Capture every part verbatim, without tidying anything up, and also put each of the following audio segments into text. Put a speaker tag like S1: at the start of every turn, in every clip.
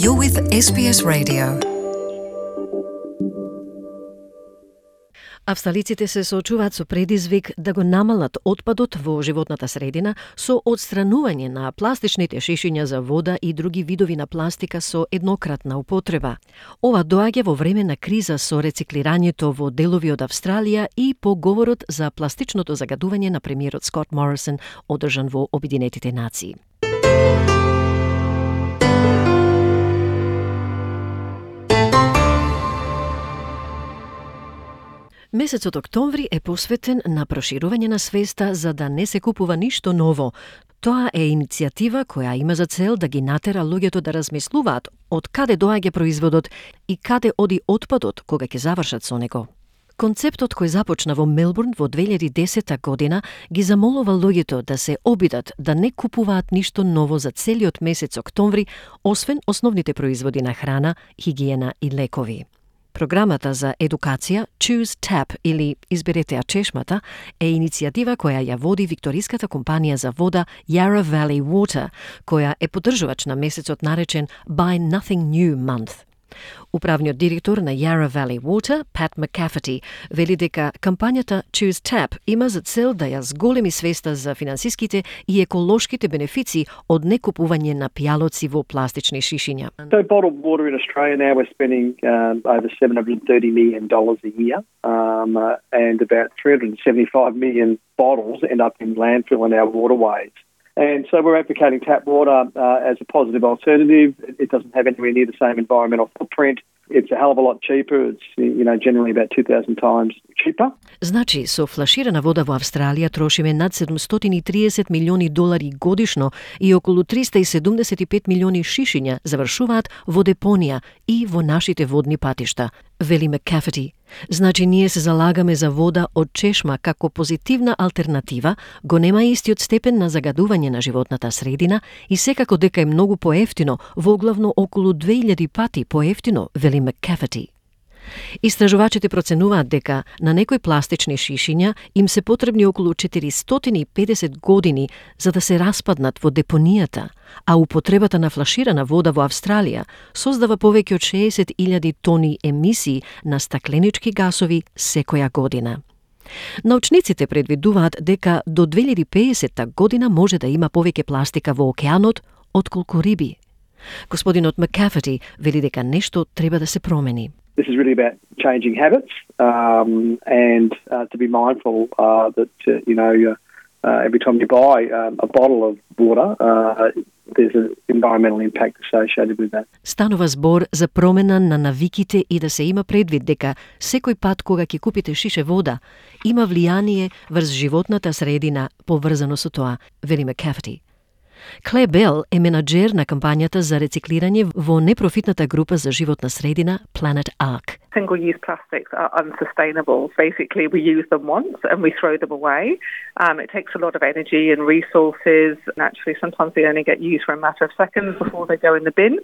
S1: You're with Ес Би Ес Radio. Австралиците се соочуваат со предизвик да го намалат отпадот во животната средина со отстранување на пластичните шишиња за вода и други видови на пластика со еднократна употреба. Ова доаѓа во време на криза со рециклирањето во делови од Австралија и по говорот за пластичното загадување на премиерот Скот Морисон одржан во Обединетите нации. Месецот октомври е посветен на проширување на свеста за да не се купува ништо ново. Тоа е иницијатива која има за цел да ги натера луѓето да размислуваат од каде доаѓа производот и каде оди отпадот кога ќе завршат со него. Концептот кој започна во Мелбурн во две илјади и десета година ги замолува луѓето да се обидат да не купуваат ништо ново за целиот месец октомври, освен основните производи на храна, хигиена и лекови. Програмата за едукација Choose Tap или Изберете ја чешмата е иницијатива која ја води викториската компанија за вода Yarra Valley Water, која е поддржувач на месецот наречен Buy Nothing New Month. Управниот директор на Yarra Valley Water, Pat McCafferty, вели дека кампањата Choose Tap има за цел да ја зголеми свеста за финансиските и еколошките бенефиции од некупување на пијалоци во пластични шишиња.
S2: So bottled water in Australia now we're spending um, over seven hundred thirty million dollars a year um, uh, and about three hundred seventy-five million bottles end up in landfill in our waterways. And so we're advocating tap water uh, as a positive alternative. It doesn't have anywhere near the same environmental footprint. It's a hell of a lot cheaper. It's, you know, generally about two thousand times cheaper.
S1: Значи, со флаширана вода во Австралија трошиме над седумстотини и триесет милиони долари годишно и околу триста и седумдесет и пет милиони шишиња завршуваат во депонија и во нашите водни патишта, вели McCafferty. Значи, ние се залагаме за вода од чешма како позитивна алтернатива, го нема истиот степен на загадување на животната средина и секако дека е многу поевтино, воглавно околу две илјади пати поевтино, вели McCafferty. Истражувачите проценуваат дека на некои пластични шишиња им се потребни околу четиристотини и педесет години за да се распаднат во депонијата, а употребата на флаширана вода во Австралија создава повеќе од шеесет илјади тони емисии на стакленички гасови секоја година. Научниците предвидуваат дека до две илјади и педесета година може да има повеќе пластика во океанот отколку риби. Господинот McCafferty вели дека нешто треба да се промени.
S2: This is really about changing habits um, and uh, to be mindful uh, that, uh, you know, uh, every time you buy um, a bottle of water, uh, there's an environmental impact associated with that.
S1: Станува збор за промена на навиките и да се има предвид дека секој пат кога ќе купите шише вода, има влијание врз животната средина поврзано со тоа, вели McCafferty. Кле Бел е менаџер на кампањата за рециклирање во непрофитната група за животна средина Planet Ark.
S3: Single-use plastics are unsustainable. Basically, we use them once and we throw them away. Um, it takes a lot of energy and resources. And actually, sometimes they only get used for a matter of seconds before they go in the bin.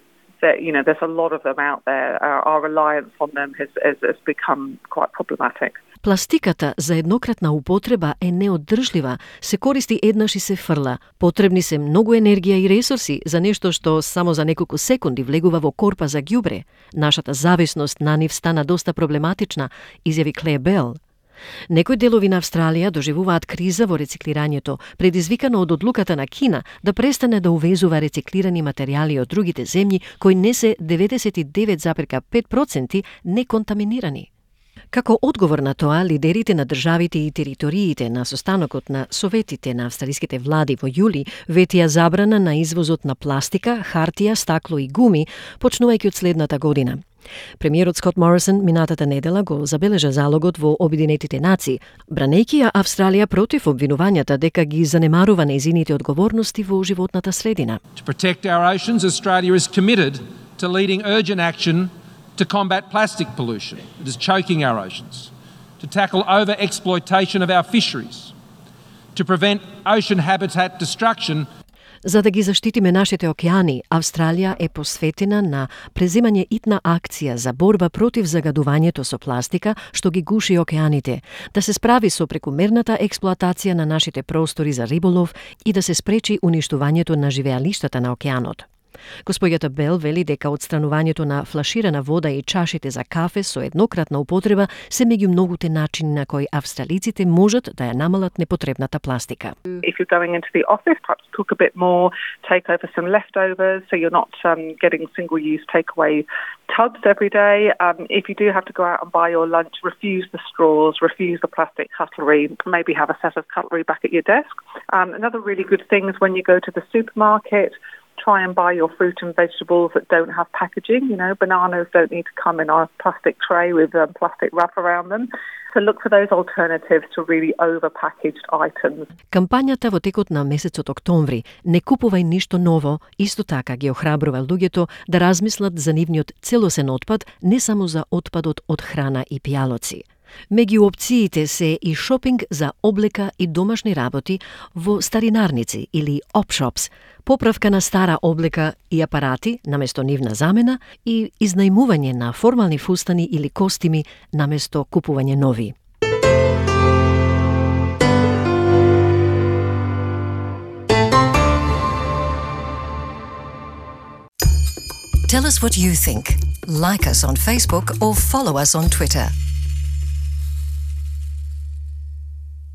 S3: That, you know, there's a lot of them out there. Our, our reliance on them has, has, has become quite problematic.
S1: Пластиката за еднократна употреба е неоддржлива, се користи еднаш и се фрла. Потребни се многу енергија и ресурси за нешто што само за неколку секунди влегува во корпа за ѓубре. Нашата зависност на нив стана доста проблематична, изјави Кле Бел. Некои делови на Австралија доживуваат криза во рециклирањето, предизвикано од одлуката на Кина да престане да увезува рециклирани материјали од другите земји кои не се деветдесет и девет запирка пет проценти неконтаминирани. Како одговор на тоа, лидерите на државите и териториите на состанокот на советите на австралиските влади во јули ветија забрана на извозот на пластика, хартија, стакло и гуми, почнувајќи од следната година. Премиерот Скот Морисон минатата недела го забележа залогот во Обединетите нации, бранејќи ја Австралија против обвинувањата дека ги занемарува нејзините одговорности во животната средина.
S4: To protect our oceans, Australia is committed to leading urgent action to combat plastic pollution that is choking our oceans, to tackle over-exploitation of our fisheries, to prevent ocean habitat destruction.
S1: За да ги заштитиме нашите океани, Австралија е посветена на преземање итна акција за борба против загадувањето со пластика што ги гуши океаните, да се справи со прекумерната експлоатација на нашите простори за риболов и да се спречи уништувањето на живеалиштата на океанот. Господјата Бел вели дека отстранувањето на флаширана вода и чашите за кафе со еднократна употреба се меѓу многуте начини на кои австралиците можат да ја намалат непотребната пластика.
S3: If you're going into the office, perhaps cook a bit more, take over some leftovers so you're not um, getting single-use takeaway tubs every day. Um, if you do have to go out and buy your lunch, refuse the straws, refuse the plastic cutlery, maybe have a set of cutlery back at your desk. Um, another really good thing is when you go to the supermarket, try and buy your fruit and vegetables that don't have packaging. You know, bananas don't need to come in a plastic tray with um, plastic wrap around them. So look for those alternatives to really over-packaged items.
S1: Кампањата во текот на месецот октомври "Не купувај ништо ново" исто така ги охрабрува луѓето да размислат за нивниот целосен отпад, не само за отпадот од храна и пијалоци. Меѓу опциите се и шопинг за облека и домашни работи во старинарници или опшопс, поправка на стара облека и апарати наместо нивна замена и изнајмување на формални фустани или костими наместо купување нови.
S5: Tell us what you think. Like us on Facebook or follow us on Twitter.